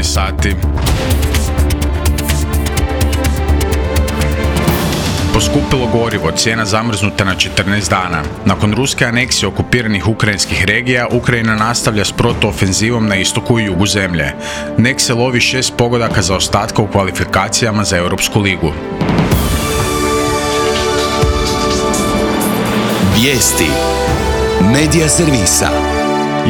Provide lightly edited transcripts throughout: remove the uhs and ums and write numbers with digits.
sati. Poskupilo gorivo, cijena zamrznuta na 14 dana. Nakon ruske aneksije okupiranih ukrajinskih regija, Ukrajina nastavlja s protuofenzivom na istoku i jugu zemlje. NEK se lovi 6 pogodaka zaostatka u kvalifikacijama za Europsku ligu. Vijesti Medija servisa.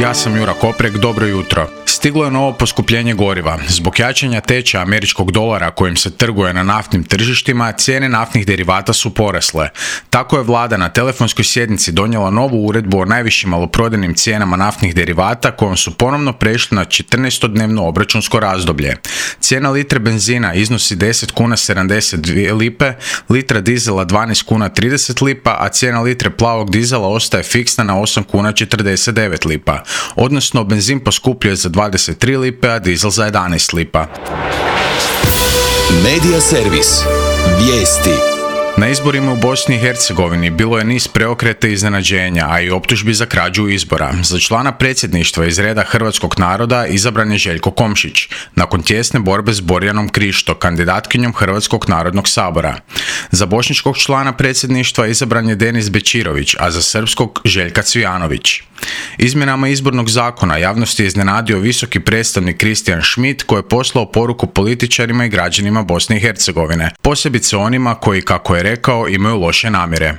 Ja sam Jura Koprek, dobro jutro. Stiglo je novo poskupljenje goriva. Zbog jačanja tečaja američkog dolara kojim se trguje na naftnim tržištima, cijene naftnih derivata su porasle. Tako je vlada na telefonskoj sjednici donijela novu uredbu o najvišim maloprodajnim cijenama naftnih derivata kojom su ponovno prešli na 14-dnevno obračunsko razdoblje. Cijena litre benzina iznosi 10 kuna 72 lipe, litra dizela 12 kuna 30 lipa, a cijena litre plavog dizela ostaje fiksna na 8 kuna 49 lipa. Odnosno, benzin poskupljuje za 23 lipe, a dizel za 11 lipa. Medija servis. Vijesti. Na izborima u Bosni i Hercegovini bilo je niz preokreta i iznenađenja, a i optužbi za krađu izbora. Za člana predsjedništva iz reda hrvatskog naroda izabran je Željko Komšić, nakon tijesne borbe s Borjanom Krišto, kandidatkinjom Hrvatskog narodnog sabora. Za bošnjačkog člana predsjedništva izabran je Denis Bečirović, a za srpskog Željka Cvijanović. Izmjenama izbornog zakona javnosti je iznenadio visoki predstavnik Kristijan Schmidt, koji je poslao poruku političarima i građanima Bosne i Hercegovine, posebice onima koji, kako je rekao, imaju loše namjere.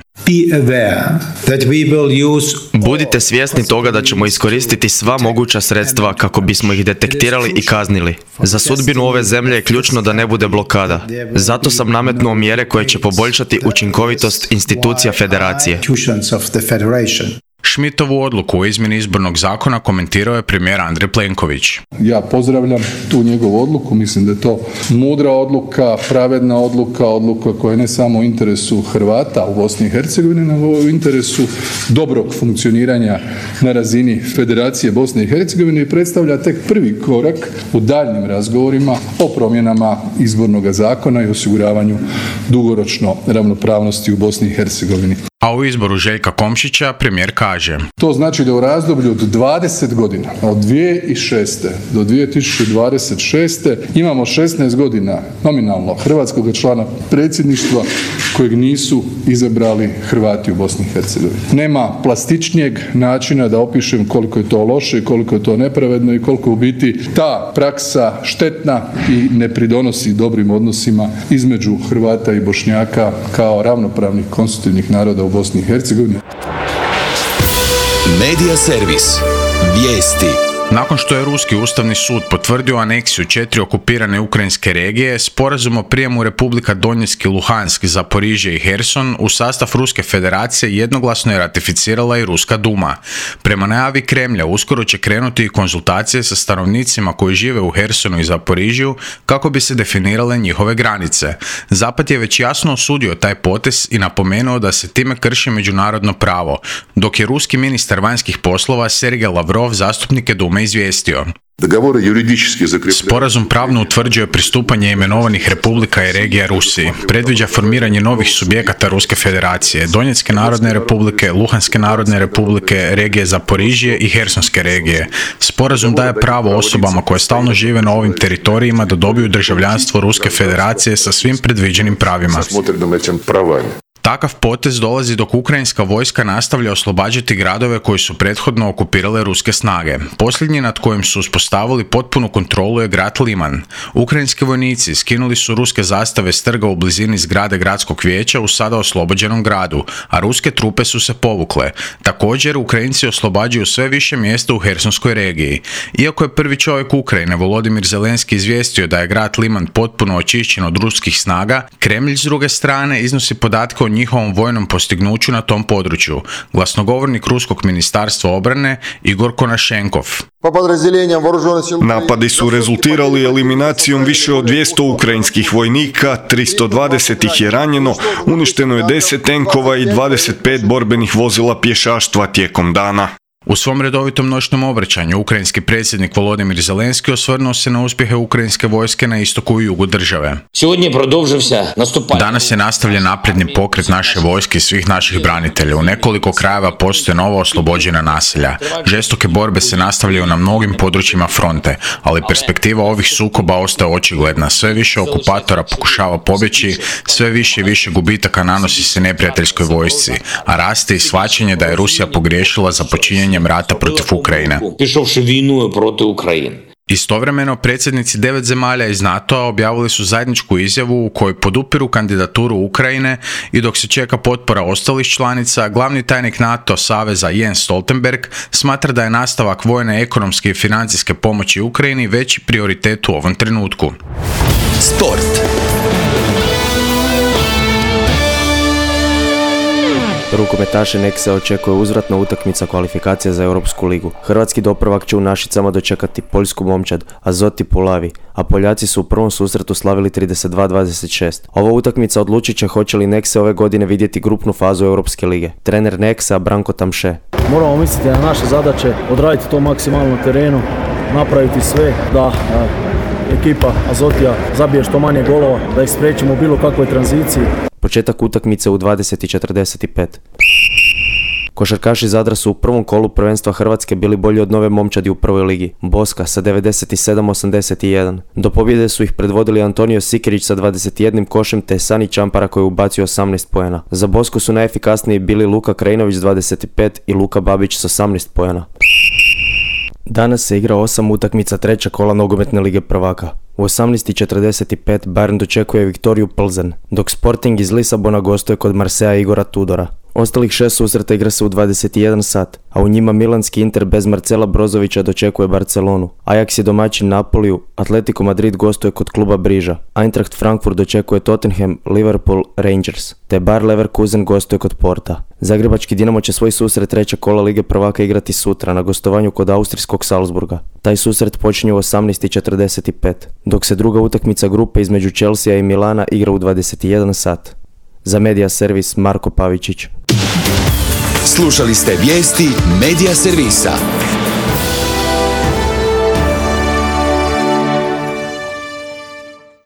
Budite svjesni toga da ćemo iskoristiti sva moguća sredstva kako bismo ih detektirali i kaznili. Za sudbinu ove zemlje je ključno da ne bude blokada. Zato sam nametnuo mjere koje će poboljšati učinkovitost institucija federacije. Schmidtovu odluku o izmjeni izbornog zakona komentirao je premijer Andrej Plenković. Ja pozdravljam tu njegovu odluku, mislim da je to mudra odluka, pravedna odluka, odluka koja je ne samo u interesu Hrvata u Bosni i Hercegovini, nego u interesu dobrog funkcioniranja na razini Federacije Bosne i Hercegovine i predstavlja tek prvi korak u daljnjim razgovorima o promjenama izbornog zakona i osiguravanju dugoročno ravnopravnosti u Bosni i Hercegovini. A u izboru Željka Komšića premijer kaže: To znači da u razdoblju od 20 godina, od 2006. do 2026. imamo 16 godina nominalno hrvatskog člana predsjedništva kojeg nisu izabrali Hrvati u Bosni i Hercegovini. Nema plastičnijeg načina da opišem koliko je to loše, koliko je to nepravedno i koliko u biti ta praksa štetna i ne pridonosi dobrim odnosima između Hrvata i Bošnjaka kao ravnopravnih konstitutivnih naroda u Bosni i Hercegovini. Medija servis. Vijesti. Nakon što je Ruski ustavni sud potvrdio aneksiju 4 okupirane ukrajinske regije, sporazum o prijemu Republika Donjeck i Luhansk, Zaporižje i Herson u sastav Ruske federacije jednoglasno je ratificirala i Ruska duma. Prema najavi Kremlja uskoro će krenuti i konzultacije sa stanovnicima koji žive u Hersonu i Zaporižju kako bi se definirale njihove granice. Zapad je već jasno osudio taj potez i napomenuo da se time krši međunarodno pravo, dok je ruski ministar vanjskih poslova Sergej Lavrov zastupnike Dume izvijestio. Sporazum pravno utvrđuje pristupanje imenovanih republika i regija Rusiji. Predviđa formiranje novih subjekata Ruske federacije, Donjecke narodne republike, Luhanske narodne republike, regije Zaporižje i Hersonske regije. Sporazum daje pravo osobama koje stalno žive na ovim teritorijima da dobiju državljanstvo Ruske federacije sa svim predviđenim pravima. Takav potez dolazi dok ukrajinska vojska nastavlja oslobađati gradove koji su prethodno okupirale ruske snage. Posljednji nad kojim su uspostavili potpunu kontrolu je grad Liman. Ukrajinski vojnici skinuli su ruske zastave s trga u blizini zgrade gradskog vijeća u sada oslobođenom gradu, a ruske trupe su se povukle. Također, Ukrajinci oslobađaju sve više mjesta u Hersonskoj regiji. Iako je prvi čovjek Ukrajine, Volodimir Zelenski, izvijestio da je grad Liman potpuno očišćen od ruskih snaga, Kremlj s druge strane iznosi podatke o njihovom vojnom postignuću na tom području. Glasnogovornik Ruskog ministarstva obrane Igor Konašenkov. Napadi su rezultirali eliminacijom više od 200 ukrajinskih vojnika, 320 ih je ranjeno, uništeno je 10 tenkova i 25 borbenih vozila pješaštva tijekom dana. U svom redovitom noćnom obraćanju ukrajinski predsjednik Volodymyr Zelenski osvrnuo se na uspjehe ukrajinske vojske na istoku i jugu države. Danas je nastavljen napredni pokret naše vojske i svih naših branitelja. U nekoliko krajeva postoje nova oslobođena naselja. Žestoke borbe se nastavljaju na mnogim područjima fronte, ali perspektiva ovih sukoba ostaje očigledna. Sve više okupatora pokušava pobjeći, sve više i više gubitaka nanosi se neprijateljskoj vojsci, a raste i shvaćanje da je Rusija pogriješila za počinjenjem rata protiv Ukrajine. Istovremeno, predsjednici 9 zemalja iz NATO-a objavili su zajedničku izjavu u kojoj podupiru kandidaturu Ukrajine i dok se čeka potpora ostalih članica, glavni tajnik NATO saveza Jens Stoltenberg smatra da je nastavak vojne, ekonomske i financijske pomoći Ukrajini veći prioritet u ovom trenutku. Sport. Rukometaše Nexe očekuje uzvratna utakmica kvalifikacija za Europsku ligu. Hrvatski doprvak će u Našicama dočekati poljsku momčad Azoti Puławy, a Poljaci su u prvom susretu slavili 32-26. Ova utakmica odlučit će hoće li Nexe ove godine vidjeti grupnu fazu Europske lige. Trener Nexa Branko Tamše. Moramo misliti na naše zadaće, odraditi to maksimalno na terenu, napraviti sve da ekipa Azotija zabije što manje golova, da ih spriječimo u bilo kakvoj tranziciji. Početak utakmice u 20:45. Košarkaši Zadra su u prvom kolu prvenstva Hrvatske bili bolji od Nove momčadi u prvoj ligi, Boska sa 97-81. Do pobjede su ih predvodili Antonio Sikirić sa 21 košem te Sani Čampara koji je ubacio 18 poena. Za Bosku su najefikasniji bili Luka Krajinović s 25 i Luka Babić s 18 poena. Danas se igra 8 utakmica treća kola Nogometne lige prvaka. U 18:45 Bayern dočekuje Viktoriju Plzen, dok Sporting iz Lisabona gostuje kod Marseja Igora Tudora. Ostalih 6 susreta igra se u 21 sat, a u njima milanski Inter bez Marcela Brozovića dočekuje Barcelonu. Ajax je domaćin Napoliju, Atletico Madrid gostuje kod kluba Briža. Eintracht Frankfurt dočekuje Tottenham, Liverpool, Rangers, te Bayer Leverkusen gostuje kod Porta. Zagrebački Dinamo će svoj susret treća kola Lige prvaka igrati sutra na gostovanju kod austrijskog Salzburga. Taj susret počinje u 18:45, dok se druga utakmica grupe između Chelsea i Milana igra u 21 sat. Za Media Servis Marko Pavičić. Slušali ste vijesti Media Servisa.